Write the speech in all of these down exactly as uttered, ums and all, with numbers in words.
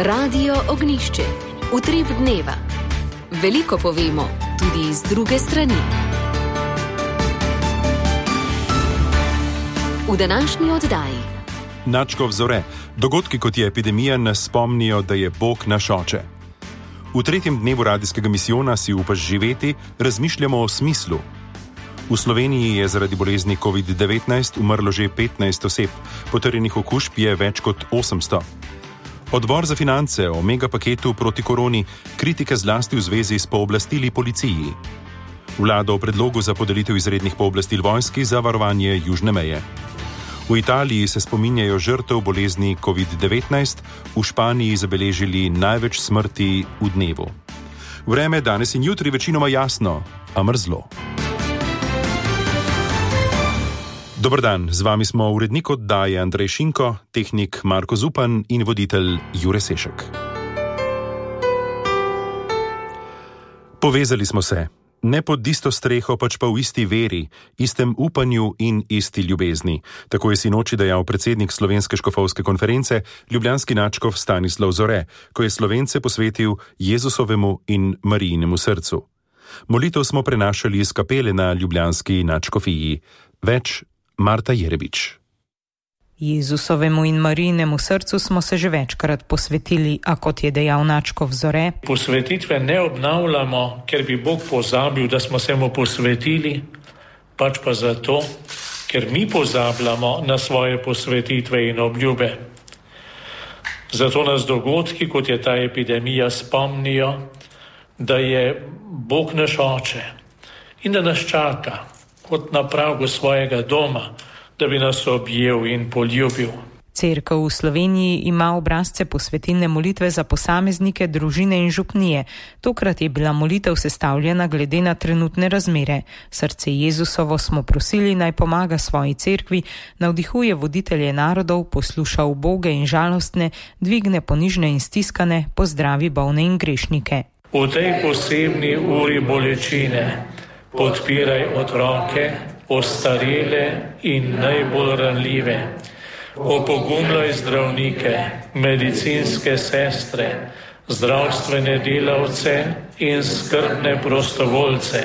Radio Ognjišče. Utrip dneva. Veliko povemo, tudi iz druge strani. V današnji oddaji. Načkov zore. Dogodki kot je epidemija nas spomnijo, da je Bog naš oče. V tretjem dnevu radijskega misijona Si upaš živeti razmišljamo o smislu. V Sloveniji je zaradi bolezni covid devetnajst umrlo že petnajst oseb, potrjenih okužb je več kot osemsto. Odbor za finance o megapaketu proti koroni, kritike zlasti v zvezi s pooblastili policiji. Vlada o predlogu za podelitev izrednih pooblastil vojski za varovanje južne meje. V Italiji se spominjajo žrtev bolezni covid devetnajst, v Španiji zabeležili največ smrti v dnevu. Vreme danes in jutri večinoma jasno, a mrzlo. Dober dan, z vami smo urednik oddaje Andrej Šinko, tehnik Marko Zupan in voditelj Jure Sešek. Povezali smo se, ne pod isto streho, pač pa v isti veri, istem upanju in isti ljubezni. Tako je sinoči dejal predsednik Slovenske škofovske konference, ljubljanski nadškof Stanislav Zore, ko je Slovence posvetil Jezusovemu in Marijinemu srcu. Molitev smo prenašali iz kapele na ljubljanski nadškofiji. Več Marta Jerebič. Jezusovemu in Marijinemu srcu smo se že večkrat posvetili, a kot je dejal nadškof Zore, posvetitve ne obnavljamo, ker bi Bog pozabil, da smo se mu posvetili, pač pa zato, ker mi pozabljamo na svoje posvetitve in obljube. Zato nas dogodki, kot je ta epidemija, spomnijo, da je Bog naš oče in da nas čaka kot na pragu svojega doma, da bi nas objel in poljubil. Cerkev v Sloveniji ima obrazce posvetilne molitve za posameznike, družine in župnije. Tokrat je bila molitev sestavljena glede na trenutne razmere. Srce Jezusovo smo prosili, naj pomaga svoji cerkvi, navdihuje voditelje narodov, posluša uboge in žalostne, dvigne ponižne in stiskane, pozdravi bolne in grešnike. V tej posebni uri bolečine podpiraj otroke, ostarele in najbolj ranljive. Opogumljaj zdravnike, medicinske sestre, zdravstvene delavce in skrbne prostovoljce.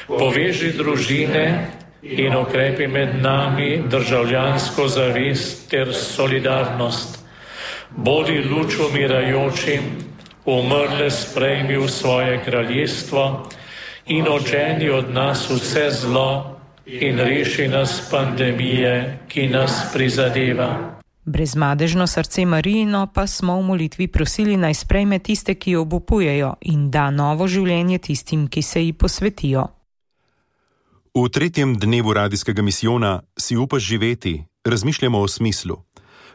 Poveži družine in okrepi med nami državljansko zavest ter solidarnost. Bodi luč umirajočim, umrle sprejmi v svoje kraljestvo in odženi od nas vse zlo in reši nas pandemije, ki nas prizadeva. Brezmadežno srce Marijino pa smo v molitvi prosili, naj sprejme tiste, ki jo obupujejo, in da novo življenje tistim, ki se ji posvetijo. V tretjem dnevu radijskega misijona Si upaš živeti razmišljamo o smislu.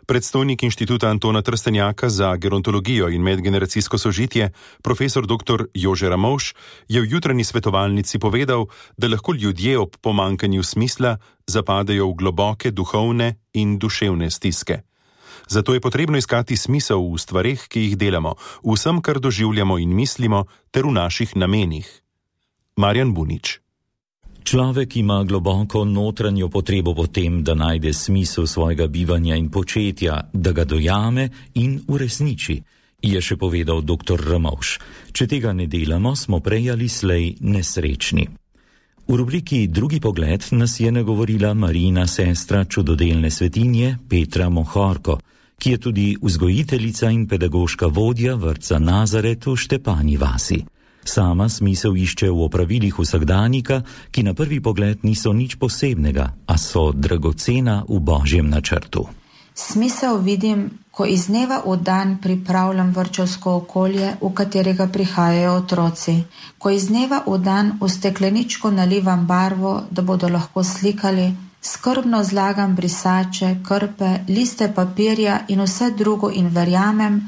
Predstojnik Inštituta Antona Trstenjaka za gerontologijo in medgeneracijsko sožitje, profesor doktor Jože Ramovš, je v jutranji svetovalnici povedal, da lahko ljudje ob pomankanju smisla zapadejo v globoke duhovne in duševne stiske. Zato je potrebno iskati smisel v stvareh, ki jih delamo, v vsem, kar doživljamo in mislimo, ter v naših namenih. Marjan Bunič. Človek ima globoko notranjo potrebo po tem, da najde smisel svojega bivanja in početja, da ga dojame in uresniči, je še povedal doktor Ramovš. Če tega ne delamo, smo prej ali slej nesrečni. V rubriki Drugi pogled nas je nagovorila Marijina sestra čudodelne svetinje Petra Mohorko, ki je tudi vzgojiteljica in pedagoška vodja vrtca Nazaret v Štepanji vasi. Sama smisel išče v opravilih vsakdanjika, ki na prvi pogled niso nič posebnega, a so dragocena v Božjem načrtu. Smisel vidim, ko iz dneva v dan pripravljam vrtčevsko okolje, v katerega prihajajo otroci. Ko iz dneva v dan v stekleničko nalivam barvo, da bodo lahko slikali, skrbno zlagam brisače, krpe, liste papirja in vse drugo in verjamem,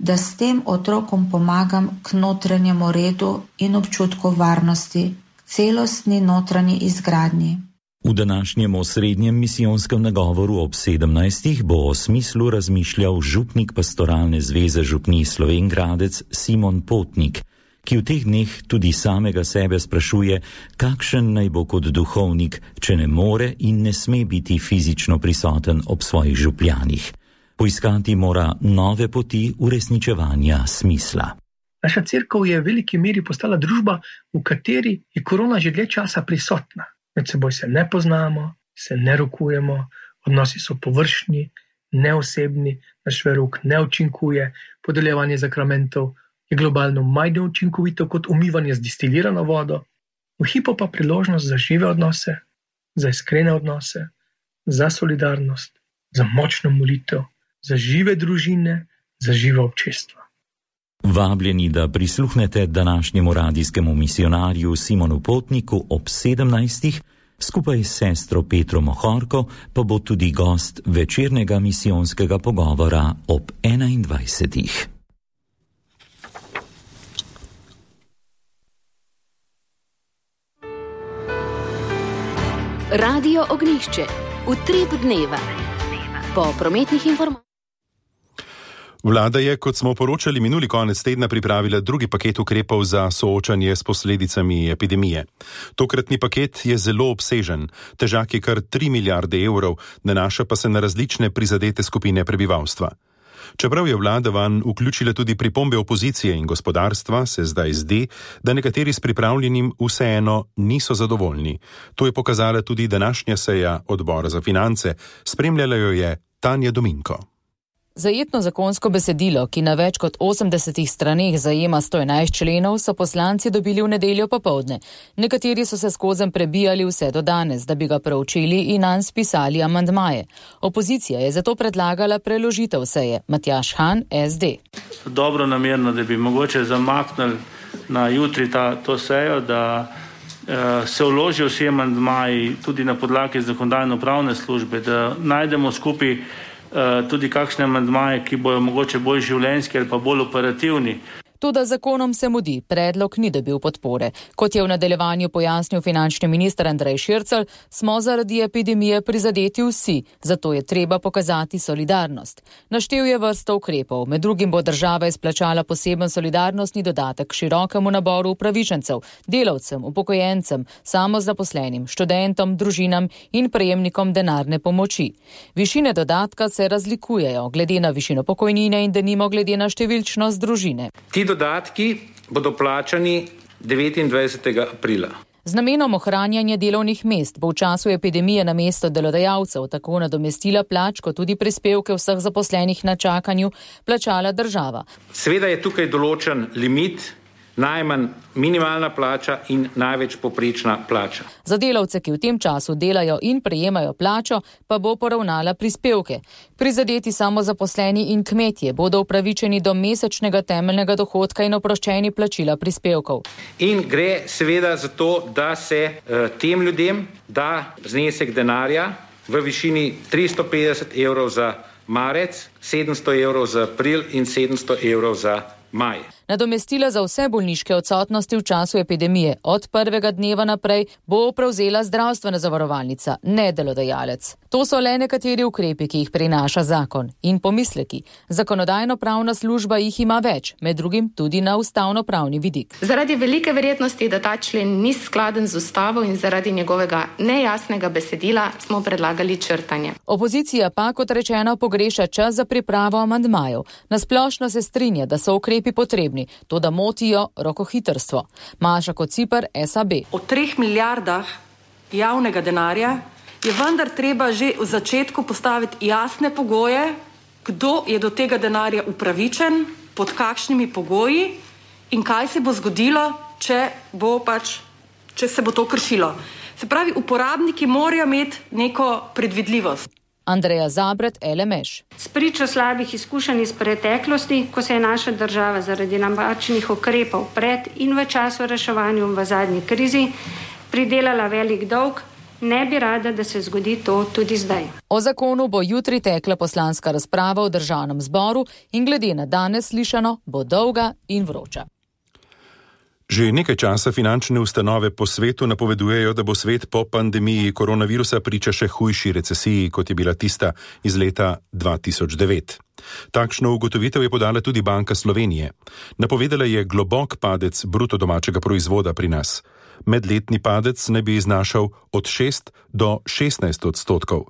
da s tem otrokom pomagam k notranjemu redu in občutku varnosti, k celostni notranji izgradnji. V današnjem osrednjem misijonskem nagovoru ob sedemnajstih bo o smislu razmišljal župnik pastoralne zveze župnij Slovenjgradec Simon Potnik, ki v teh dneh tudi samega sebe sprašuje, kakšen naj bo kot duhovnik, če ne more in ne sme biti fizično prisoten ob svojih župljanih. Poiskati mora nove poti uresničevanja smisla. Naša cerkev je v veliki meri postala družba, v kateri je korona že dlje časa prisotna. Med seboj se ne poznamo, se ne rokujemo, odnosi so površni, neosebni, naš verok ne učinkuje, podeljevanje zakramentov je globalno manj neučinkovito kot umivanje z distilirano vodo. V hipu pa priložnost za žive odnose, za iskrene odnose, za solidarnost, za močno molitev, za žive družine, za živo občestvo. Vabljeni, da prisluhnete današnjemu radijskemu misionarju Simonu Potniku ob sedemnajstih, skupaj s sestro Petro Mohorko pa bo tudi gost večernega misijonskega pogovora ob enaindvajsetih. Radio Ognjišče, utrip dneva. Po prometnih informacijah. Vlada je, kot smo poročali minuli konec tedna, pripravila drugi paket ukrepov za soočanje s posledicami epidemije. Tokratni paket je zelo obsežen, težak je kar tri milijarde evrov, nanaša pa se na različne prizadete skupine prebivalstva. Čeprav je vlada vanj vključila tudi pripombe opozicije in gospodarstva, se zdaj zdi, da nekateri s pripravljenim vseeno niso zadovoljni. To je pokazala tudi današnja seja odbora za finance. Spremljala jo je Tanja Dominko. Zajetno zakonsko besedilo, ki na več kot osemdesetih straneh zajema sto enajst členov, so poslanci dobili v nedeljo popoldne. Nekateri so se skozenj prebijali vse do danes, da bi ga preučili in nanj spisali amandmaje. Opozicija je zato predlagala preložitev seje. Matjaž Han, S D. Dobro namerno, da bi mogoče zamaknili na jutri ta, to sejo, da eh, se vložijo vsi amandmaji tudi na podlagi zakonodajno-pravne službe, da najdemo skupaj tudi kakšne amandmaje, ki bojo mogoče bolj življenjski ali pa bolj operativni. Toda zakonom se mudi, predlog ni dobil podpore. Kot je v nadaljevanju pojasnil finančni minister Andrej Šircelj, smo zaradi epidemije prizadeti vsi, zato je treba pokazati solidarnost. Naštel je vrsto ukrepov, med drugim bo država izplačala poseben solidarnostni dodatek širokemu naboru upravičencev, delavcem, upokojencem, samozaposlenim, študentom, družinam in prejemnikom denarne pomoči. Višine dodatka se razlikujejo glede na višino pokojnine in denimo glede na številčnost družine. Ti dodatki bodo plačani devetindvajsetega aprila. Z namenom ohranjanja delovnih mest bo v času epidemije namesto delodajalcev tako nadomestila plač kot tudi prispevke vseh zaposlenih na čakanju plačala država. Seveda je tukaj določen limit, najmanj minimalna plača in največ povprečna plača. Za delavce, ki v tem času delajo in prejemajo plačo, pa bo poravnala prispevke. Prizadeti samozaposleni in kmetje bodo upravičeni do mesečnega temeljnega dohodka in oproščeni plačila prispevkov. In gre seveda za to, da se uh, tem ljudem da znesek denarja v višini tristo petdeset evrov za marec, sedemsto evrov za april in sedemsto evrov za maj. Nadomestila za vse bolniške odsotnosti v času epidemije od prvega dneva naprej bo prevzela zdravstvena zavarovalnica, ne delodajalec. To so le nekateri ukrepi, ki jih prinaša zakon in pomisleki. Zakonodajno-pravna služba jih ima več, med drugim tudi na ustavno-pravni vidik. Zaradi velike verjetnosti, da ta člen ni skladen z ustavo in zaradi njegovega nejasnega besedila smo predlagali črtanje. Opozicija pa, kot rečeno, pogreša čas za pripravo amandmajev. Nasplošno se strinja, da so ukrepi potrebni, to da motijo rokohitrstvo. Maša Kociper, S A B. Od treh milijardah javnega denarja je vendar treba že v začetku postaviti jasne pogoje, kdo je do tega denarja upravičen, pod kakšnimi pogoji in kaj se bo zgodilo, če bo pač, če se bo to kršilo. Se pravi, uporabniki morajo imeti neko predvidljivost. Andreja Zabret, L M Š. Spričo slabih izkušenj iz preteklosti, ko se je naša država zaradi napačnih ukrepov pred in v času reševanja v zadnji krizi pridelala velik dolg, ne bi rada, da se zgodi to tudi zdaj. O zakonu bo jutri tekla poslanska razprava v Državnem zboru in glede na danes slišano bo dolga in vroča. Že nekaj časa finančne ustanove po svetu napovedujejo, da bo svet po pandemiji koronavirusa priča še hujši recesiji, kot je bila tista iz leta dva tisoč devet. Takšno ugotovitev je podala tudi Banka Slovenije. Napovedala je globok padec bruto domačega proizvoda pri nas. Medletni padec naj bi znašal od šest do šestnajst odstotkov.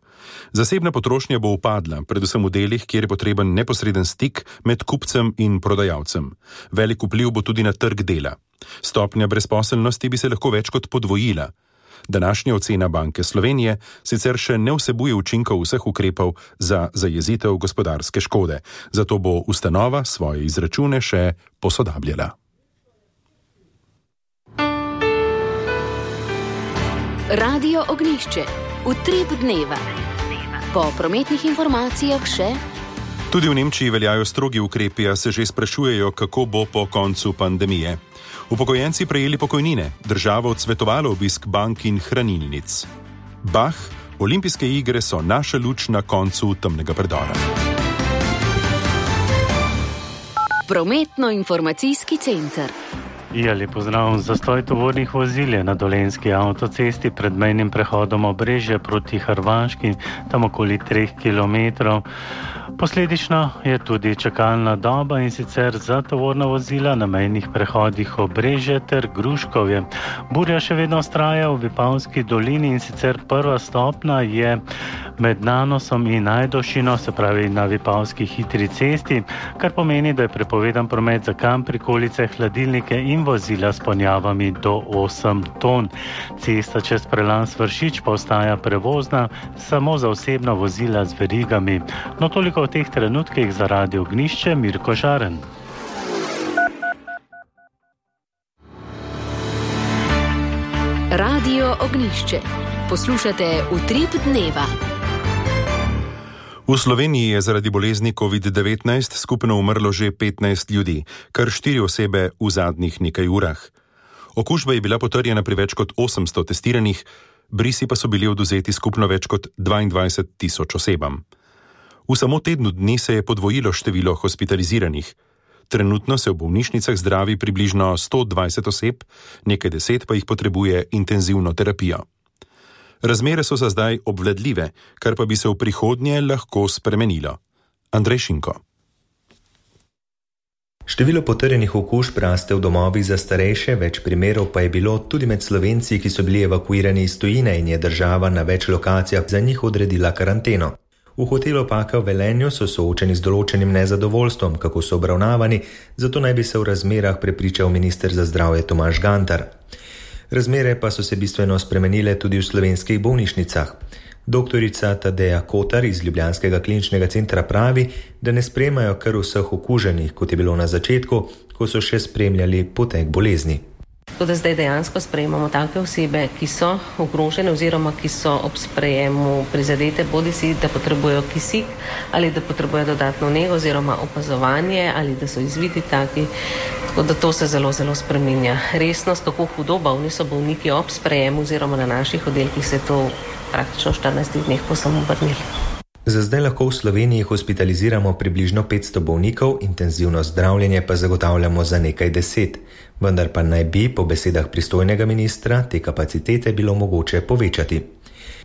Zasebna potrošnja bo upadla, predvsem v delih, kjer je potreben neposreden stik med kupcem in prodajalcem. Velik vpliv bo tudi na trg dela. Stopnja brezposelnosti bi se lahko več kot podvojila. Današnja ocena Banke Slovenije sicer še ne vsebuje učinkov vseh ukrepov za zajezitev gospodarske škode, zato bo ustanova svoje izračune še posodabljala. Radio Ognjišče. Utrip dneva. Po prometnih informacijah še... Tudi v Nemčiji veljajo strogi ukrepi, a se že sprašujejo, kako bo po koncu pandemije. Upokojenci prejeli pokojnine, država odsvetovala obisk bank in hranilnic. Bah, olimpijske igre so naša luč na koncu temnega predora. Prometno-informacijski center. Ja, lep pozdrav. Zastoj tovornih vozil je na Dolenjski avtocesti pred mejnim prehodom Obrežje proti Hrvaški, tam okoli treh kilometrov. Posledično je tudi čakalna doba, in sicer za tovorna vozila na mejnih prehodih Obrežje ter Gruškovje. Burja še vedno vztraja v Vipavski dolini, in sicer prva stopna je med Nanosom in Ajdošino, se pravi na Vipavski hitri cesti, kar pomeni, da je prepovedan promet za kamp, prikolice, hladilnike in vozila s ponjavami do osem ton. Cesta čez prelaz Vršič pa ostaja prevozna samo za osebna vozila z verigami. No, toliko v teh trenutkih za Radio Ognjišče, Mirko Žaren. Radio Ognjišče. Poslušate Utrip dneva. V Sloveniji je zaradi bolezni covid devetnajst skupno umrlo že petnajst ljudi, kar štiri osebe v zadnjih nekaj urah. Okužba je bila potrjena pri več kot osemsto testiranih, brisi pa so bili odvzeti skupno več kot dvaindvajset tisoč osebam. V samo tednu dni se je podvojilo število hospitaliziranih. Trenutno se v bolnišnicah zdravi približno sto dvajset oseb, nekaj deset pa jih potrebuje intenzivno terapijo. Razmere so za zdaj obvladljive, kar pa bi se v prihodnje lahko spremenilo. Andrej Šinko. Število potrjenih okužb raste v domovih za starejše, več primerov pa je bilo tudi med Slovenci, ki so bili evakuirani iz tujine, in je država na več lokacijah za njih odredila karanteno. V hotelu Opaka v Velenju so soočeni z določenim nezadovoljstvom, kako so obravnavani, zato naj bi se v razmerah prepričal minister za zdravje Tomaž Gantar. Razmere pa so se bistveno spremenile tudi v slovenskih bolnišnicah. Doktorica Tadeja Kotar iz Ljubljanskega kliničnega centra pravi, da ne sprejemajo kar vseh okuženih, kot je bilo na začetku, ko so še spremljali potek bolezni. Tako da zdaj dejansko sprejemamo take osebe, ki so ogrožene oziroma ki so ob sprejemu prizadete, bodi si, da potrebujejo kisik ali da potrebujejo dodatno nego oziroma opazovanje ali da so izviti taki. Tako da to se zelo, zelo spreminja. Resnost, kako hudo bolni so bolniki ob sprejemu oziroma na naših oddelkih, se je to praktično v štirinajstih dneh povsem obrnilo. Za zdaj lahko v Sloveniji hospitaliziramo približno petsto bolnikov, intenzivno zdravljenje pa zagotavljamo za nekaj deset. Vendar pa naj bi, po besedah pristojnega ministra, te kapacitete bilo mogoče povečati.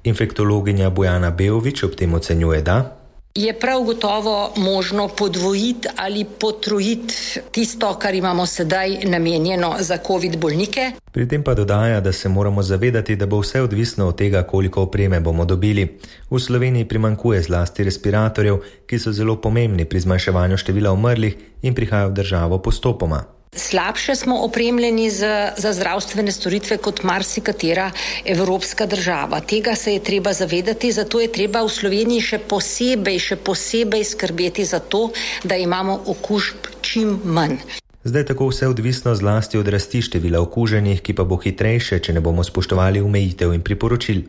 Infektologinja Bojana Beovič ob tem ocenjuje, da je prav gotovo možno podvojiti ali potrojiti tisto, kar imamo sedaj namenjeno za covid bolnike. Pri tem pa dodaja, da se moramo zavedati, da bo vse odvisno od tega, koliko opreme bomo dobili. V Sloveniji primanjkuje zlasti respiratorjev, ki so zelo pomembni pri zmanjševanju števila umrlih in prihajajo v državo postopoma. Slabše smo opremljeni za, za zdravstvene storitve kot marsikatera evropska država. Tega se je treba zavedati, zato je treba v Sloveniji še posebej, še posebej skrbeti za to, da imamo okužb čim manj. Zdaj tako vse odvisno zlasti od rasti števila okuženih, ki pa bo hitrejše, če ne bomo spoštovali omejitev in priporočil.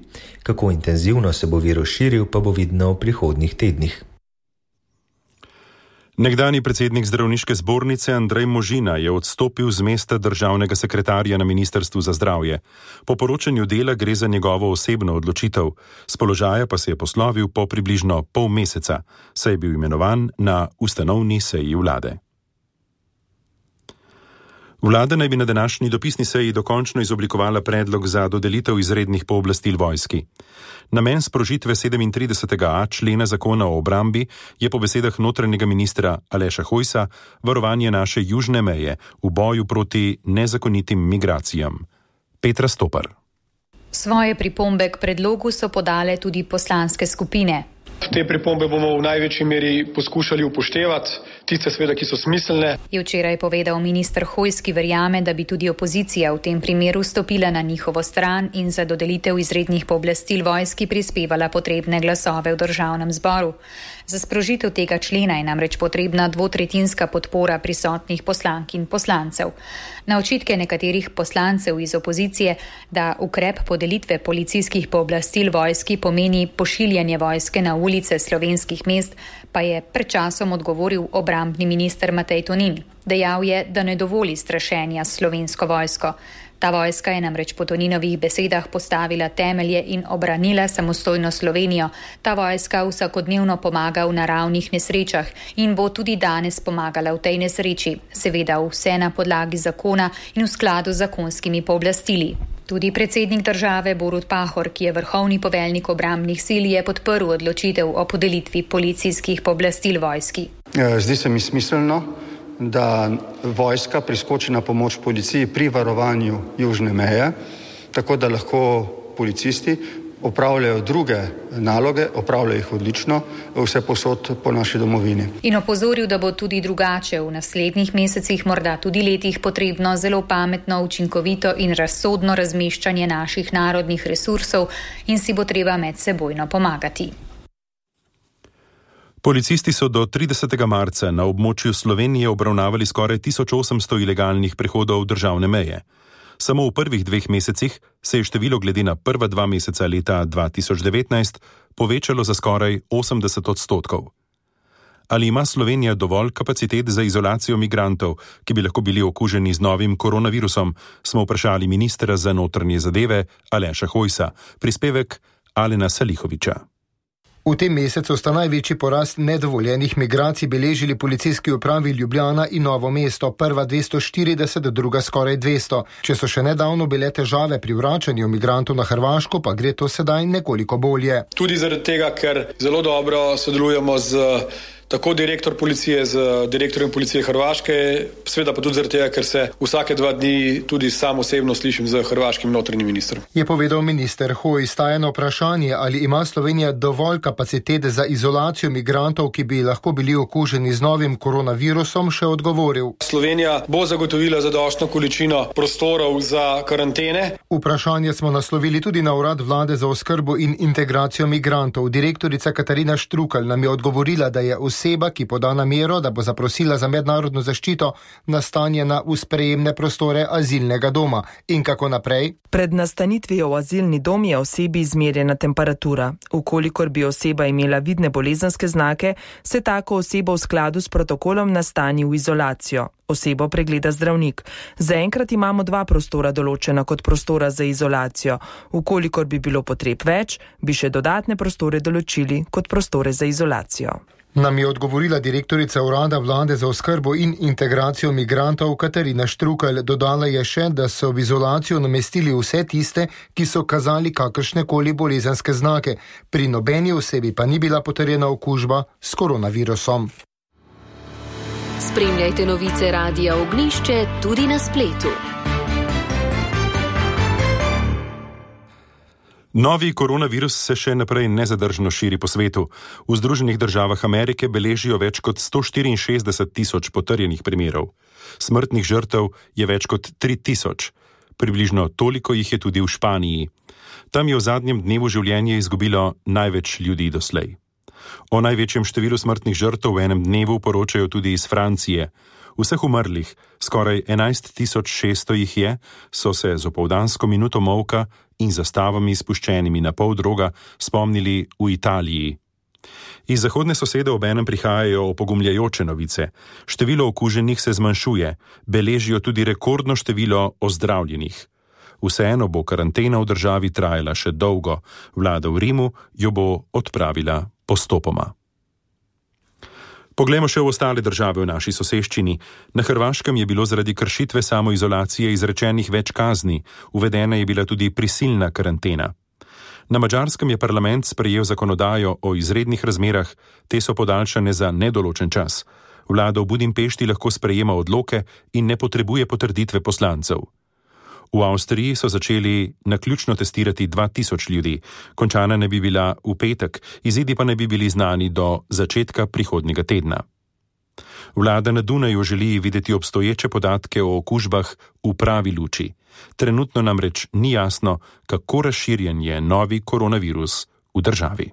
Kako intenzivno se bo virus širil, pa bo vidno v prihodnjih tednih. Nekdanji predsednik zdravniške zbornice Andrej Možina je odstopil z mesta državnega sekretarja na Ministrstvu za zdravje. Po poročanju Dela gre za njegovo osebno odločitev, s položaja pa se je poslovil po približno pol meseca, saj je bil imenovan na ustanovni seji vlade. Vlada naj bi na današnji dopisni seji dokončno izoblikovala predlog za dodelitev izrednih pooblastil vojski. Namen sprožitve sedemintridesetega a člena zakona o obrambi je po besedah notranjega ministra Aleša Hojsa varovanje naše južne meje v boju proti nezakonitim migracijam. Petra Stopar. Svoje pripombe k predlogu so podale tudi poslanske skupine. Te pripombe bomo v največji meri poskušali upoštevati, tiste seveda, ki so smiselne. Je včeraj povedal minister Hojs, ki verjame, da bi tudi opozicija v tem primeru stopila na njihovo stran in za dodelitev izrednih pooblastil vojski prispevala potrebne glasove v državnem zboru. Za sprožitev tega člena je namreč potrebna dvotretjinska podpora prisotnih poslank in poslancev. Na očitke nekaterih poslancev iz opozicije, da ukrep podelitve policijskih pooblastil vojski pomeni pošiljanje vojske na ulice slovenskih mest, pa je pred časom odgovoril obrambni minister Matej Tonin. Dejal je, da ne dovoli strašenja s slovensko vojsko. Ta vojska je namreč po Toninovih besedah postavila temelje in obranila samostojno Slovenijo. Ta vojska vsakodnevno pomaga v naravnih nesrečah in bo tudi danes pomagala v tej nesreči, seveda vse na podlagi zakona in v skladu z zakonskimi pooblastili. Tudi predsednik države Borut Pahor, ki je vrhovni poveljnik obrambnih sil, je podprl odločitev o podelitvi policijskih pooblastil vojski. Zdi se mi smiselno, da vojska priskoči na pomoč policiji pri varovanju južne meje, tako da lahko policisti opravljajo druge naloge, opravljajo jih odlično, vse posod po naši domovini. In opozoril, da bo tudi drugače v naslednjih mesecih, morda tudi letih, potrebno zelo pametno, učinkovito in razsodno razmeščanje naših narodnih resursov in si bo treba medsebojno pomagati. Policisti so do tridesetega marca na območju Slovenije obravnavali skoraj tisoč osemsto ilegalnih prehodov državne meje. Samo v prvih dveh mesecih se je število glede na prva dva meseca leta dva tisoč devetnajst povečalo za skoraj osemdeset odstotkov. Ali ima Slovenija dovolj kapacitet za izolacijo migrantov, ki bi lahko bili okuženi z novim koronavirusom, smo vprašali ministra za notranje zadeve Aleša Hojsa. Prispevek Alena Salihoviča. V tem mesecu sta največji porast nedovoljenih migracij beležili policijski upravi Ljubljana in Novo mesto, prva dvesto štirideset, druga skoraj dvesto. Če so še nedavno bile težave pri vračanju migrantov na Hrvaško, pa gre to sedaj nekoliko bolje. Tudi zaradi tega, ker zelo dobro sodelujemo z tako direktor policije z direktorjem policije Hrvaške, seveda pa tudi zaradi tega, ker se vsake dva dni tudi sam osebno slišim z hrvaškim notranjim ministrom. Je povedal minister Hojs. Na vprašanje, ali ima Slovenija dovolj kapacitet za izolacijo migrantov, ki bi lahko bili okuženi z novim koronavirusom, še odgovoril. Slovenija bo zagotovila zadostno količino prostorov za karantene. Vprašanje smo naslovili tudi na urad vlade za oskrbo in integracijo migrantov. Direktorica Katarina Štrukelj nam je odgovorila, da je oseba, ki poda namero, da bo zaprosila za mednarodno zaščito, nastanjena v sprejemne prostore azilnega doma. In kako naprej? Pred nastanitvijo v azilni dom je osebi izmerjena temperatura. Ukolikor bi oseba imela vidne bolezenske znake, se tako osebo v skladu s protokolom nastani v izolacijo. Osebo pregleda zdravnik. Zaenkrat imamo dva prostora določena kot prostora za izolacijo. Ukolikor bi bilo potreb več, bi še dodatne prostore določili kot prostore za izolacijo. Nam je odgovorila direktorica urada vlade za oskrbo in integracijo migrantov Katarina Štrukelj. Dodala je še, da so v izolacijo namestili vse tiste, ki so kazali kakršnekoli bolezenske znake. Pri nobeni osebi pa ni bila potrjena okužba s koronavirusom. Spremljajte novice Radia Ognjišče tudi na spletu. Novi koronavirus se še naprej nezadržno širi po svetu. V Združenih državah Amerike beležijo več kot sto štiriinšestdeset tisoč potrjenih primerov. Smrtnih žrtev je več kot tri tisoč. Približno toliko jih je tudi v Španiji. Tam je v zadnjem dnevu življenje izgubilo največ ljudi doslej. O največjem številu smrtnih žrtev v enem dnevu poročajo tudi iz Francije. Vseh umrlih, skoraj enajst tisoč šeststo jih je, so se z opoldansko minuto molka in zastavami spuščenimi na pol droga spomnili v Italiji. Iz zahodne sosede obenem prihajajo opogumljajoče novice. Število okuženih se zmanjšuje, beležijo tudi rekordno število ozdravljenih. Vseeno bo karantena v državi trajala še dolgo, vlada v Rimu jo bo odpravila postopoma. Poglejmo še v ostale države v naši soseščini. Na Hrvaškem je bilo zaradi kršitve samoizolacije izrečenih več kazni, uvedena je bila tudi prisilna karantena. Na Madžarskem je parlament sprejel zakonodajo o izrednih razmerah, te so podaljšane za nedoločen čas. Vlada v Budimpešti lahko sprejema odloke in ne potrebuje potrditve poslancev. V Avstriji so začeli naključno testirati dva tisoč ljudi, končana ne bi bila v petek, izidi pa ne bi bili znani do začetka prihodnjega tedna. Vlada na Dunaju želi videti obstoječe podatke o okužbah v pravi luči. Trenutno namreč ni jasno, kako razširjen je novi koronavirus v državi.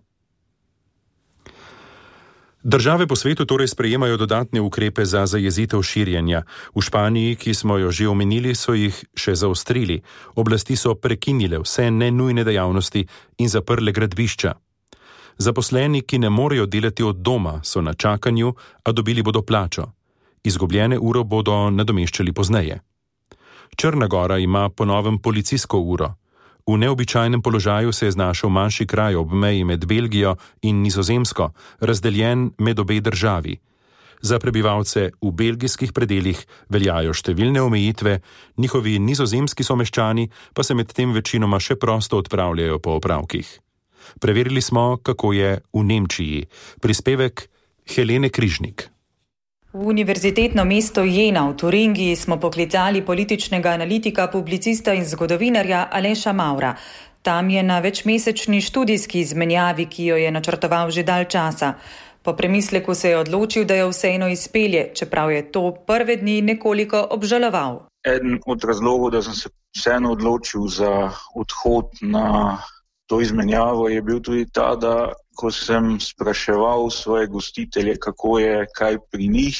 Države po svetu torej sprejemajo dodatne ukrepe za zajezitev širjenja. V Španiji, ki smo jo že omenili, so jih še zaostrili. Oblasti so prekinile vse nenujne dejavnosti in zaprle gradbišča. Zaposleni, ki ne morejo delati od doma, so na čakanju, a dobili bodo plačo. Izgubljene uro bodo nadomeščali pozneje. Črna Gora ima po novem policijsko uro. V neobičajnem položaju se je znašel manjši kraj ob meji med Belgijo in Nizozemsko, razdeljen med obe državi. Za prebivalce v belgijskih predeljih veljajo številne omejitve, njihovi nizozemski someščani pa se medtem večinoma še prosto odpravljajo po opravkih. Preverili smo, kako je v Nemčiji. Prispevek Helene Križnik. V univerzitetno mesto Jena v Turingiji smo poklicali političnega analitika, publicista in zgodovinarja Aleša Maura. Tam je na večmesečni študijski izmenjavi, ki jo je načrtoval že dalj časa. Po premisleku se je odločil, da jo vseeno izpelje, čeprav je to prve dni nekoliko obžaloval. Eden od razlogov, da sem se vseeno odločil za odhod na to izmenjavo, je bil tudi ta, da ko sem spraševal svoje gostitelje, kako je kaj pri njih,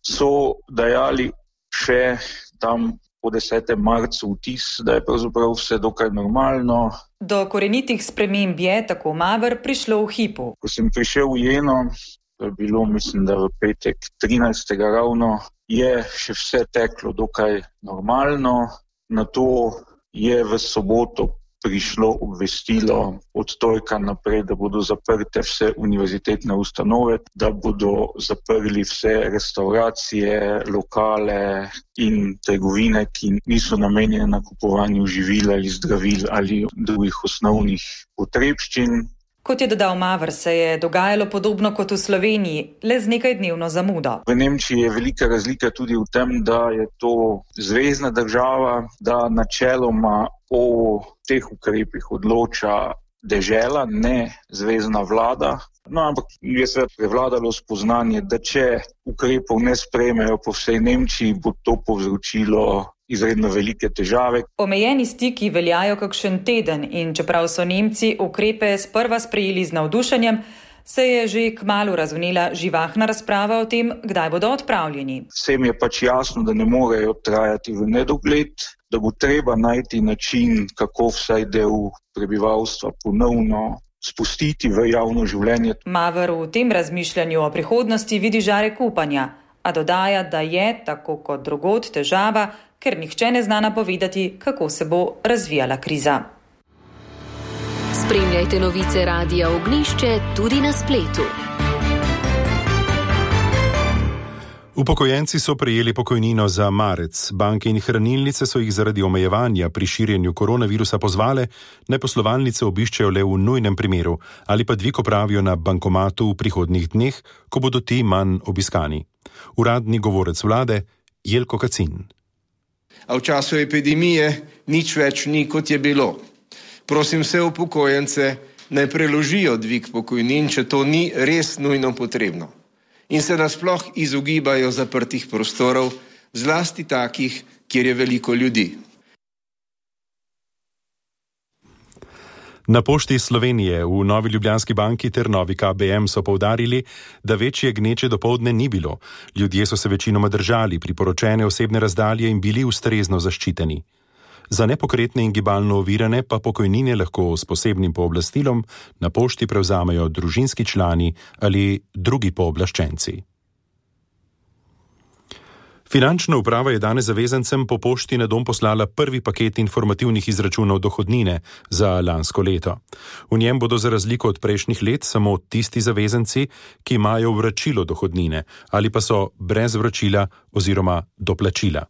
so dajali še tam po desetem marcu vtis, da je pravzaprav vse dokaj normalno. Do korenitih sprememb je, tako Maver, prišlo v hipu. Ko sem prišel v Jeno, to je bilo, mislim, da v petek trinajstega ravno, je še vse teklo dokaj normalno. Nato je v soboto prišlo obvestilo od torka naprej, da bodo zaprte vse univerzitetne ustanove, da bodo zaprli vse restauracije, lokale in trgovine, ki niso namenjene nakupovanju živil ali zdravil ali drugih osnovnih potrebščin. Kot je dodal Maver, se je dogajalo podobno kot v Sloveniji, le z nekaj dnevno zamudo. V Nemčiji je velika razlika tudi v tem, da je to zvezna država, da načeloma o teh ukrepih odloča dežela, ne zvezna vlada. No, ampak je se prevladalo spoznanje, da če ukrepov ne sprejmejo po vsej Nemčiji, bo to povzročilo izredno velike težave. Omejeni stiki veljajo kakšen teden in čeprav so Nemci ukrepe sprva sprejeli z navdušenjem, se je že kmalu razvnela živahna razprava o tem, kdaj bodo odpravljeni. Vsem je pač jasno, da ne morejo trajati v nedogled, da bo treba najti način, kako vsaj del prebivalstva ponovno spustiti v javno življenje. Maver v tem razmišljanju o prihodnosti vidi žarek upanja, a dodaja, da je, tako kot drugod, težava, ker nihče ne zna napovedati, kako se bo razvijala kriza. Spremljajte novice Radia Ognjišče tudi na spletu. Upokojenci so prejeli pokojnino za marec. Banke in hranilnice so jih zaradi omejevanja pri širjenju koronavirusa pozvale, naj poslovalnice obiščejo le v nujnem primeru ali pa dvig opravijo na bankomatu v prihodnjih dneh, ko bodo ti manj obiskani. Uradni govorec vlade Jelko Kacin. A v času epidemije nič več ni, kot je bilo. Prosim vse upokojence, naj preložijo dvig pokojnin, če to ni res nujno potrebno. In se nasploh izogibajo zaprtih prostorov, zlasti takih, kjer je veliko ljudi. Na Pošti Slovenije v Novi Ljubljanski banki ter Novi K B M so poudarili, da večje gneče dopoldne ni bilo. Ljudje so se večinoma držali priporočene osebne razdalje in bili ustrezno zaščiteni. Za nepokretne in gibalno ovirane pa pokojnine lahko s posebnim pooblastilom na pošti prevzamejo družinski člani ali drugi pooblaščenci. Finančna uprava je danes zavezancem po pošti na dom poslala prvi paket informativnih izračunov dohodnine za lansko leto. V njem bodo za razliko od prejšnjih let samo tisti zavezanci, ki imajo vračilo dohodnine ali pa so brez vračila oziroma doplačila.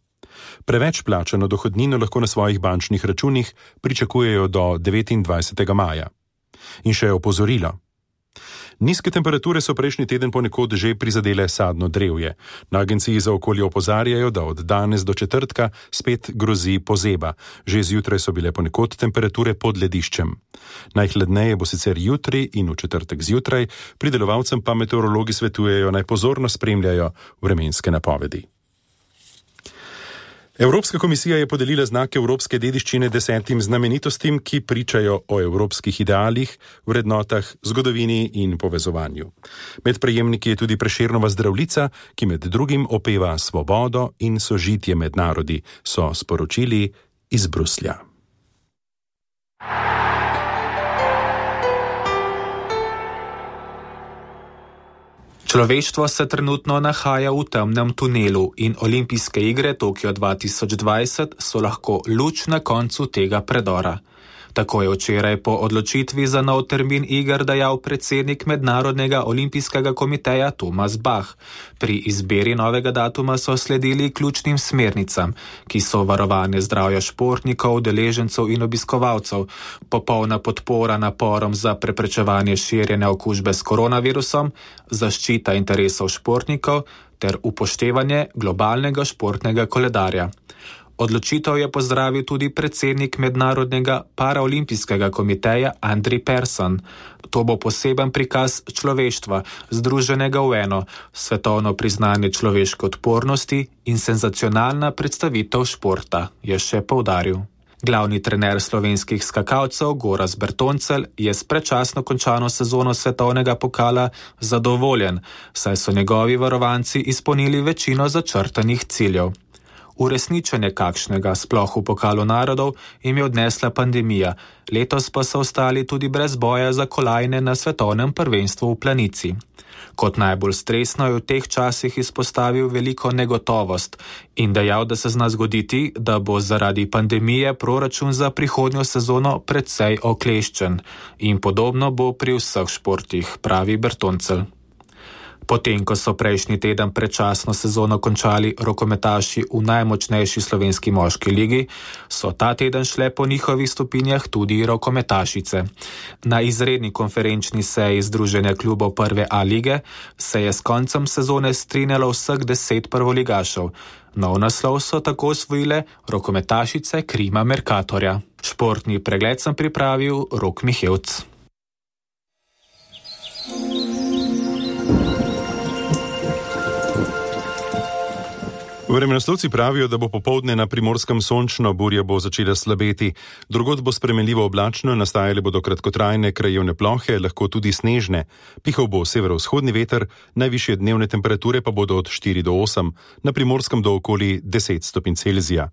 Preveč plačano dohodnino lahko na svojih bančnih računih pričakujejo do devetindvajsetega maja. In še opozorilo. Nizke temperature so prejšnji teden ponekod že prizadele sadno drevje. Na agenciji za okolje opozarjajo, da od danes do četrtka spet grozi pozeba. Že zjutraj so bile ponekod temperature pod lediščem. Najhladneje bo sicer jutri in v četrtek zjutraj, pridelovalcem pa meteorologi svetujejo naj pozorno spremljajo vremenske napovedi. Evropska komisija je podelila znak evropske dediščine desetim znamenitostim, ki pričajo o evropskih idealih, vrednotah, zgodovini in povezovanju. Med prejemniki je tudi Prešernova zdravljica, ki med drugim opeva svobodo in sožitje med narodi, so sporočili iz Bruslja. Človeštvo se trenutno nahaja v temnem tunelu in olimpijske igre Tokio dva tisoč dvajset so lahko luč na koncu tega predora. Tako je včeraj po odločitvi za nov termin iger dejal predsednik Mednarodnega olimpijskega komiteja Thomas Bach. Pri izbiri novega datuma so sledili ključnim smernicam, ki so varovanje zdravja športnikov, udeležencev in obiskovalcev, popolna podpora naporom za preprečevanje širjenja okužbe s koronavirusom, zaščita interesov športnikov ter upoštevanje globalnega športnega koledarja. Odločitev je pozdravil tudi predsednik Mednarodnega paraolimpijskega komiteja Andri Persson. To bo poseben prikaz človeštva, združenega v eno, svetovno priznanje človeške odpornosti in senzacionalna predstavitev športa, je še poudaril. Glavni trener slovenskih skakalcev Gorazd Bertoncelj je s predčasno končano sezono svetovnega pokala zadovoljen, saj so njegovi varovanci izpolnili večino začrtanih ciljev. Uresničenje kakšnega, sploh v pokalu narodov, jim je odnesla pandemija, letos pa so ostali tudi brez boja za kolajne na svetovnem prvenstvu v planici. Kot najbolj stresno je v teh časih izpostavil veliko negotovost in dejal, da se zna zgoditi, da bo zaradi pandemije proračun za prihodnjo sezono precej okleščen in podobno bo pri vseh športih, pravi Bertoncelj. Potem, ko so prejšnji teden predčasno sezono končali rokometaši v najmočnejši slovenski moški ligi, so ta teden šle po njihovih stopinjah tudi rokometašice. Na izredni konferenčni seji Združenja klubov prve A lige se je s koncem sezone strinjalo vseh deset prvoligašev. Nov naslov so tako osvojile rokometašice Krima Mercatorja. Športni pregled sem pripravil Rok Mihevc. Vremenoslovci pravijo, da bo popoldne na Primorskem sončno, burja bo začela slabeti. Drugod bo spremenljivo oblačno, nastajale bodo kratkotrajne krajevne plohe, lahko tudi snežne. Pihal bo severovzhodni veter, najvišje dnevne temperature pa bodo od štiri do osem, na Primorskem do okoli deset stopinj Celzija.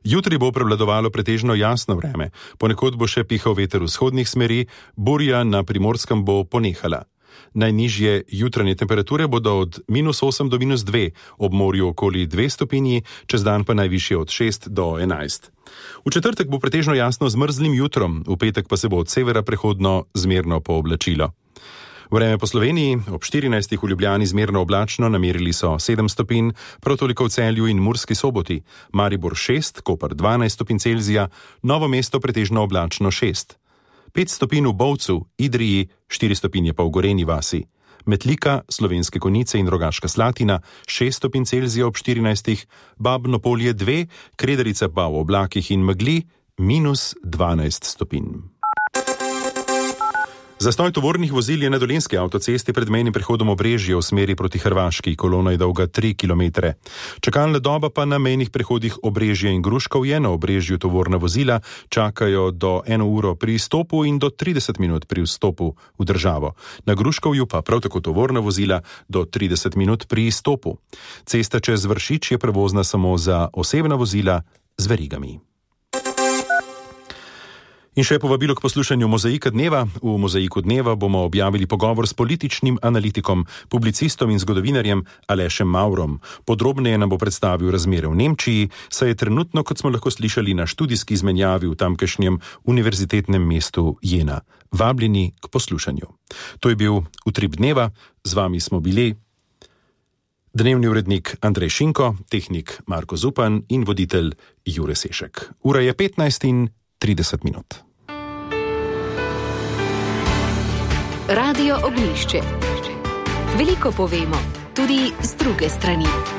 Jutri bo prevladovalo pretežno jasno vreme, ponekod bo še pihal veter vzhodnih smeri, burja na Primorskem bo ponehala. Najnižje jutranje temperature bodo od minus osem do minus dve, ob morju okoli dve stopinji, čez dan pa najvišje od šest do enajst. V četrtek bo pretežno jasno z mrzlim jutrom, v petek pa se bo od severa prehodno zmerno pooblačilo. Vreme po Sloveniji, ob štirinajstih v Ljubljani zmerno oblačno, namerili so sedem stopinj, prav toliko v Celju in Murski Soboti, Maribor šest, Koper dvanajst stopinj Celzija, Novo mesto pretežno oblačno šest. pet stopinj v Bovcu, Idriji, štiri stopinje pa v Gorenji vasi. Metlika, Slovenske Konjice in Rogaška Slatina, šest stopinj Celzija ob štirinajstih, Babno Polje dve, Kredarica pa v oblakih in megli, minus dvanajst stopinj. Zastoj tovornih vozil je na Dolenjski avtocesti pred mejnim prehodom Obrežje v smeri proti Hrvaški, kolona je dolga tri kilometre. Čakalna doba pa na mejnih prehodih Obrežje in Gruškov je. Na Obrežju tovorna vozila čakajo do eno uro pri izstopu in do trideset minut pri vstopu v državo. Na Gruškovju pa prav tako tovorna vozila do trideset minut pri izstopu. Cesta čez Vršič je prevozna samo za osebna vozila z verigami. In še povabilo k poslušanju Mozaika dneva. V Mozaiku dneva bomo objavili pogovor s političnim analitikom, publicistom in zgodovinarjem Alešem Maurom. Podrobneje nam bo predstavil razmere v Nemčiji, saj je trenutno, kot smo lahko slišali, na študijski izmenjavi v tamkajšnjem univerzitetnem mestu Jena. Vabljeni k poslušanju. To je bil Utrip dneva, z vami smo bili dnevni urednik Andrej Šinko, tehnik Marko Zupan in voditelj Jure Sešek. Ura je petnajst in trideset minut. Radio Ognjišče. Veliko povemo, tudi z druge strani.